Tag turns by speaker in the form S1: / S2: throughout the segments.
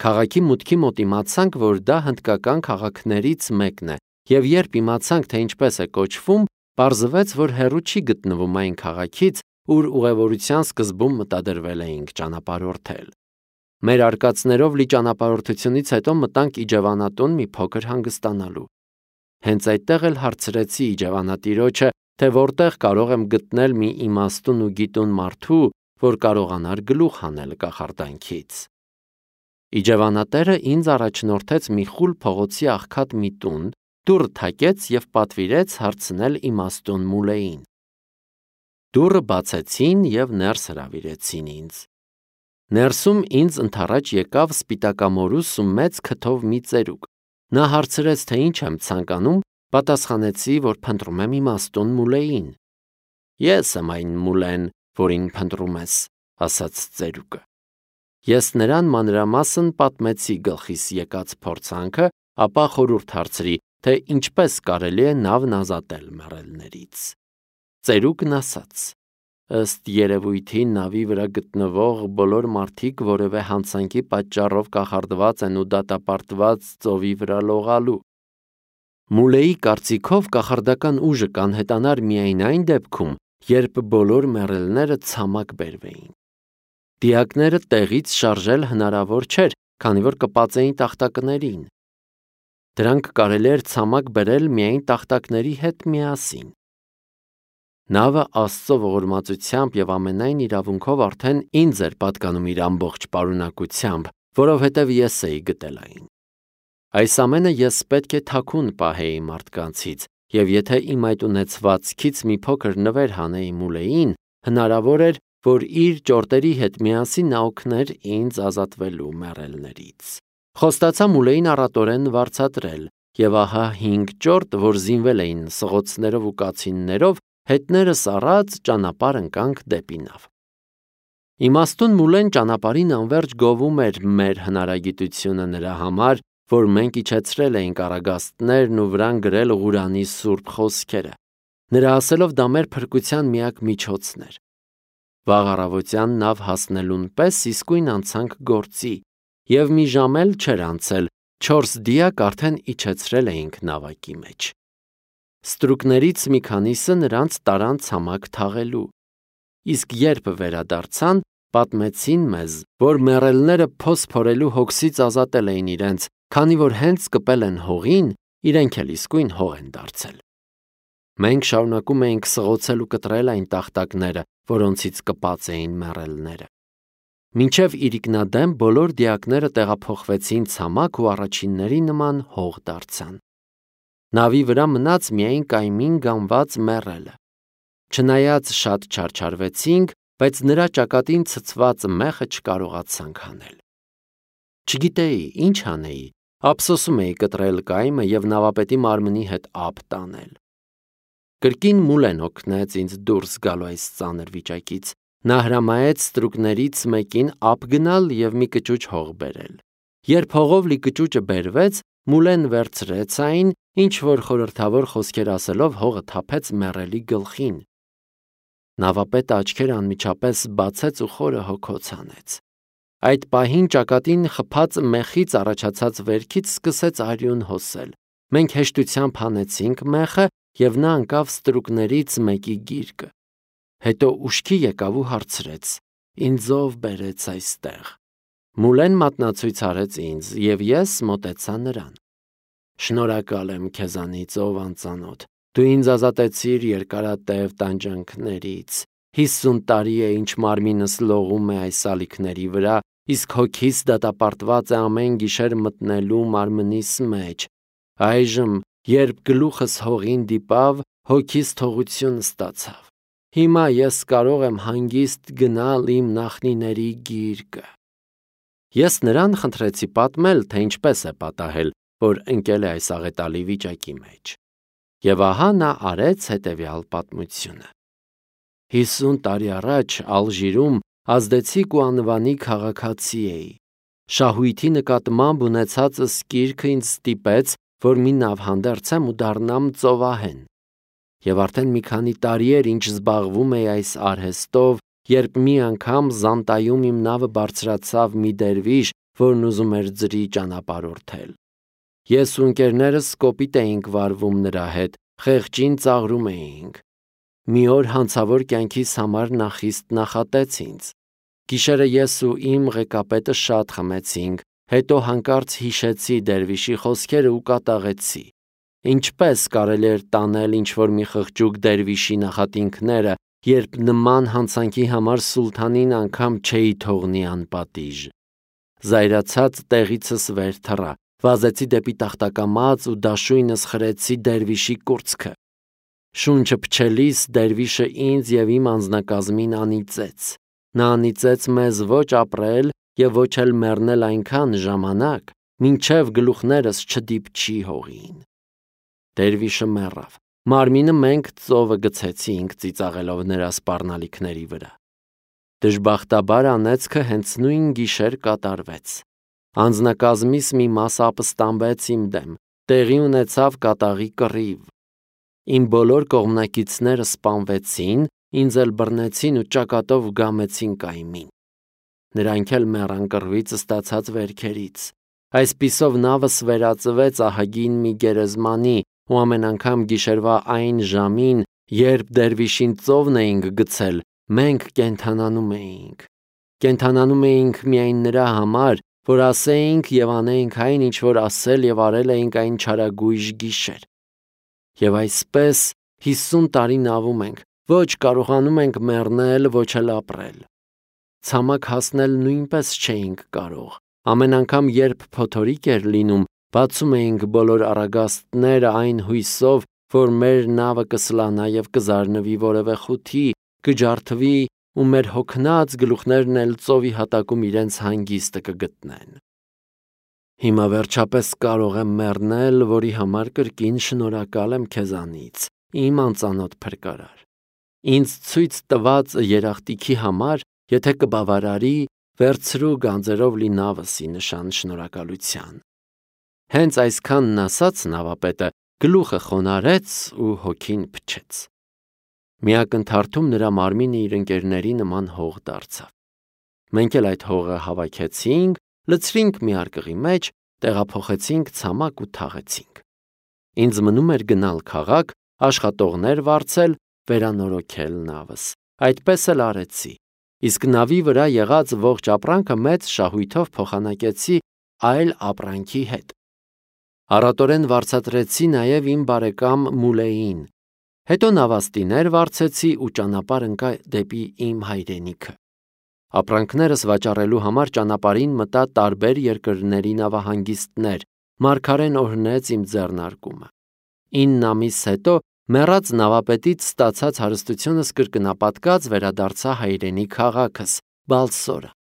S1: Քաղաքի մուտքի մոտ իմացանք, որ դա հնդկական քաղաքներից մեկն է, և երբ իմացանք, թե ինչպես է կոչվում, պարզվեց, որ հեռու չի գտնվում այն քաղաքից, ուր ուղևորության սկզբում մտադրվել էինք ճանապարհորդել։ Մեր արկածներով լի ճանապարհորդությունից հետո մտանք իջևանատուն մի փոքր հանգստանալու։ Հենց այդտեղ էլ հարցրեցի իջևանատիրոջը, թե որտեղ կարող եմ գտնել մի իմաստուն ու գիտուն մարդու, որ կարողանար գլուխ հանել կախարդանքից։ Իջևանատերը ինձ առաջնորդեց մի խուլ փողոցի աղքատ մի տուն, դուռը թակեց և պատվիրեց հարցնել իմաստուն Մուլեին։ Դուռը բացեցին և ներս հրավիրեցին ինձ։ Ներսում ինձ ընդառաջ եկավ սպիտակամորուս ու մեծ քթով մի ծերուկ։ Նա հարցրեց, թե ինչ եմ ցանկանում, պատասխանեցի, որ փնտրում եմ իմաստուն Մուլեին։ Ես եմ այն Մուլեն, որին փնտրում ես, ասաց ծերուկը։ Ես նրան մանրամասն պատմեցի գլխիս եկած փորձանքը, ապա խորհուրդ հարցրի, թե ինչպես կարելի է նավն ազատել մեռելներից։ Ծերուկն ասաց. ըստ երևույթի նավի վրա գտնվող բոլոր մարդիկ որևէ հանցանքի պատճառով կախարդված են ու դատապարտված ծովի վրա լողալու։ Մուլեի կարծիքով կախարդական ուժը կանհետանար միայն այն դեպքում, երբ բոլոր մեռելները ցամաք բերվեին։ Դիակները տեղից շարժել հնարավոր չէր, քանի որ կպածեին տախտակներին։ Դրանք կարելի էր ցամաք բերել միայն տախտակների հետ միասին։ Նավը Աստծո ողորմածությամբ և ամենայն իրավունքով արդեն ինձ էր պատկանում իր ամբողջ պարունակությամբ, որովհետև ես էի գտել այն։ Այս ամենը ես պետք է թաքուն պահեի մարդկանցից, և եթե իմ այդ ունեցվածքից մի փոքր նվեր հանեի Մուլեին, հնարավոր էր, որ իր ճորտերի հետ միասին նա օգներ ինձ ազատվելու մեռելներից։ Խոստացա Մուլեին առատորեն վարձատրել, և ահա 5 ճորտ, որ զինվել էին սղոցներով ու կացիններով, հետներս առած ճանապարհ ընկանք դեպի նավ։ Իմաստուն Մուլեն ճանապարհին անվերջ գովում էր մեր հնարագիտությունը նրա համար, որ մենք իջեցրել էինք առագաստներն ու վրան գրել Ղուրանի սուրբ խոսքերը։ Նրա ասելով դա մեր փրկության միակ միջոցն էր։ Վաղ առավոտյան նավ հասնելուն պես իսկույն անցանք գործի, և մի ժամ էլ չէր անցել, 4 դիակ արդեն իջեցրել էինք նավակի մեջ։ Ստրուկներից մի քանիսը նրանց տարան ցամաք թաղելու։ Իսկ երբ վերադարձան, պատմեցին մեզ, որ մեռելները փոս փորելու հոգսից ազատել էին իրենց, քանի որ հենց կպել են հողին, իրենք էլ իսկույն հող են դարձել։ Մենք շարունակում էինք սղոցել ու կտրել այն տախտակները, որոնցից կպած էին մեռելները։ Մինչև իրիկնադեմ բոլոր դիակները տեղափոխվեցին ցամաք ու առաջինների նման հող դարձան։ Նավի վրա մնաց միայն կայմին գանված մեռելը։ Չնայած շատ չարչարվեցինք, բայց նրա ճակատին ցցված մեխը չկարողացանք հանել։ Չգիտեի ինչ անեի, ափսոսում էի կտրել կայմը և նավապետի մարմնի հետ ափ տանել։ Կրկին Մուլեն օգնեց ինձ դուրս գալու այս ծանր վիճակից։ Նա հրամայեց ստրուկներից մեկին ափ գնալ և մի կճուճ հող բերել։ Երբ հողով լի կճուճը բերվեց, Մուլեն վերցրեց այն, ինչ որ խորհրդավոր խոսքեր ասելով հողը թափեց մեռելի գլխին։ Նավապետը աչքերը անմիջապես բացեց ու խորը հոգոց հանեց։ Այդ պահին ճակատին խփած մեխից առաջացած վերքից սկսեց արյուն հոսել։ Մենք հեշտությամբ հանեցինք մեխը, և նա ընկավ ստրուկներից մեկի գիրկը։ Հետո ուշքի եկավ ու հարցրեց. «Ինձ ով բերեց այստեղ»։ Մուլեն մատնացույց արեց ինձ, և ես մոտեցա նրան։ «Շնորհակալ եմ քեզանից, ով անծանոթ, դու ինձ ազատեցիր երկարատև տանջանքներից։ 50 տարի է, ինչ մարմինս լողում է այս ալիքների վրա, իսկ հոգիս դատապարտված է ամեն գիշեր մտնելու մարմնիս մեջ։ Այժմ, երբ գլուխս հողին դիպավ, հոգիս թողություն ստացավ։ Հիմա ես կարող եմ հանգիստ գնալ իմ նախնիների գիրկը»։ Ես նրան խնդրեցի պատմել, թե ինչպես է պատահել, որ ընկել է այս աղետալի վիճակի մեջ։ Եվ ահա նա արեց հետևյալ պատմությունը։ 50 տարի առաջ Ալժիրում ազդեցիկ ու անվանի քաղաքացի էի։ Շահույթի նկատմամբ ունեցածս կիրքը ինձ ստիպեց, որ մի նավ հանդերձեմ ու դառնամ ծովահեն։ Եվ արդեն մի քանի տարի էր, ինչ զբաղվում էի այս արհեստով, երբ մի անգամ Զանտայում իմ նավը բարձրացավ մի դերվիշ, որն ուզում էր ձրի ճանապարհորդել։ Ես ու ընկերներս կոպիտ էինք վարվում նրա հետ, խեղճին ծաղրում էինք։ Մի օր հանցավոր կյանքիս համար նա խիստ նախատեց ինձ։ Գիշերը ես ու իմ ղեկապետը շատ խմեցինք, հետո հանկարծ հիշեցի դերվիշի խոսքերը ու կատաղեցի։ Ինչպես կարելի էր տանել ինչ-որ մի խղճուկ դերվիշի նախատինքները, երբ նման հանցանքի համար սուլթանին անգամ չէի թողնի անպատիժ։ Զայրացած տեղիցս վեր թռա, վազեցի դեպի տախտակամած ու դաշույնս խրեցի դերվիշի կուրծքը։ Շունչը փչելիս դերվիշը ինձ և իմ անձնակազմին անիծեց։ Նա անիծեց մեզ ոչ ապրել և ոչ էլ մեռնել այնքան ժամանակ, մինչև գլուխներս չդիպչի հողին։ Դերվիշը մեռավ։ Մարմինը մենք ծովը գցեցինք, ծիծաղելով նրա սպառնալիքների վրա։ Դժբախտաբար անեծքը հենց նույն գիշեր կատարվեց։ Անձնակազմիս մի մասը ապստամբեց իմ դեմ, տեղի ունեցավ կատաղի կռիվ։ Իմ բոլոր կողմնակիցները սպանվեցին, ինձ էլ բռնեցին ու ճակատով գամեցին կայմին։ Նրանք էլ մեռան կռվից ստացած վերքերից։ Այսպիսով նավս վերածվեց ահագին մի գերեզմանի ու ամեն անգամ գիշերվա այն ժամին, երբ դերվիշին ծովն էինք գցել, մենք կենդանանում էինք։ Կենդանանում էինք միայն նրա համար, որ ասեինք և անեինք այն, ինչ որ ասել և արել էինք այն չարագույժ գիշեր։ Եվ այսպես 50 տարի նավում ենք, ոչ կարողանում ենք մեռնել, ոչ էլ ապրել։ Ցամաք հասնել նույնպես չէինք կարող։ Ամեն անգամ, երբ փոթորիկ էր լինում, բացում էինք բոլոր առագաստները այն հույսով, որ մեր նավը կսլանա և կզարնվի որևէ խութի, կջարդվի ու մեր հոգնած գլուխներն էլ ծովի հատակում իրենց հանգիստը կգտնեն։ Հիմա վերջապես կարող եմ մեռնել, որի համար կրկին շնորհակալ եմ քեզանից, իմ անծանոթ փրկարար։ Ինձ ցույց տված երախտիքի համար, եթե կբավարարի, վերցրու գանձերով լի նավս ի նշան շնորհակալության։ Հենց այսքանն ասաց նավապետը գլուխը խոնարհեց ու հոգին փչեց։ Մի ակնթարթում նրա մարմինը իր ընկերների նման հող դարձավ։ Մենք էլ այդ հողը հավաքեցինք, լցրինք մի արկղի մեջ, տեղափոխեցինք ցամաք ու թաղեցինք։ Ինձ մնում էր գնալ քաղաք, աշխատողներ վարձել, վերանորոգել նավս։ Այդպես էլ արեցի։ Իսկ նավի վրա եղած ողջ ապրանքը մեծ շահույթով փոխանակեցի այլ ապրանքի հետ։ Առատորեն վարձատրեցի նաև իմ բարեկամ Մուլեին։ Հետո նավաստիներ վարձեցի ու ճանապարհ ընկա դեպի իմ հայրենիքը։ Ապրանքներս վաճառելու համար ճանապարհին մտա տարբեր երկրների նավահանգիստներ, մարգարեն օրհնեց իմ ձեռնարկումը։ 9 ամիս հետո մեռած նավապետից ստացած հարստությունս կրկնապատկած վերադարձա հայրենի քաղաքս՝ Բալսորը։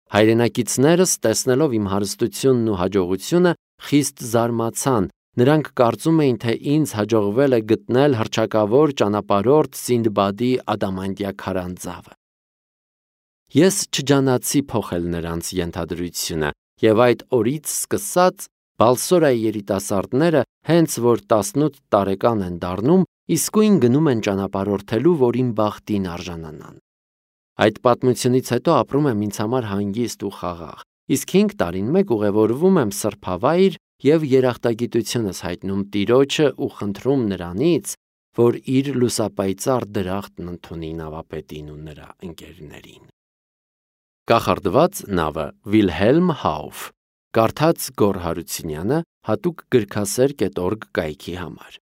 S1: Հայրենակիցներս, տեսնելով իմ հարստությունն ու հաջողությունը, խիստ զարմացան։ Նրանք կարծում էին, թե ինձ հաջողվել է գտնել հռչակավոր ճանապարհորդ Սինդբադի ադամանդյա քարանձավը։ Ես չջանացի փոխել նրանց ենթադրությունը, և այդ օրից սկսած Բալսորայի երիտասարդները, հենց որ 18 տարեկան են դառնում, իսկույն գնում են ճանապարհորդելու, որ իմ բախտին արժանանան։ Այդ պատմությունից հետո ապրում եմ ինձ համար հանգիստ ու խաղաղ, իսկ 5 տարին մեկ ուղևորվում եմ սրբավայր և երախտագիտությունս հայտնում Տիրոջը ու խնդրում նրանից, որ իր լուսապայծառ դրախտն ընդունի նավապետին ու նրա ընկերներին։ Կախարդված նավը Վիլհելմ Հաուֆ, կարդաց Գոռ Հարությունյանը, հատուկ գրքասեր.org կայքի համար։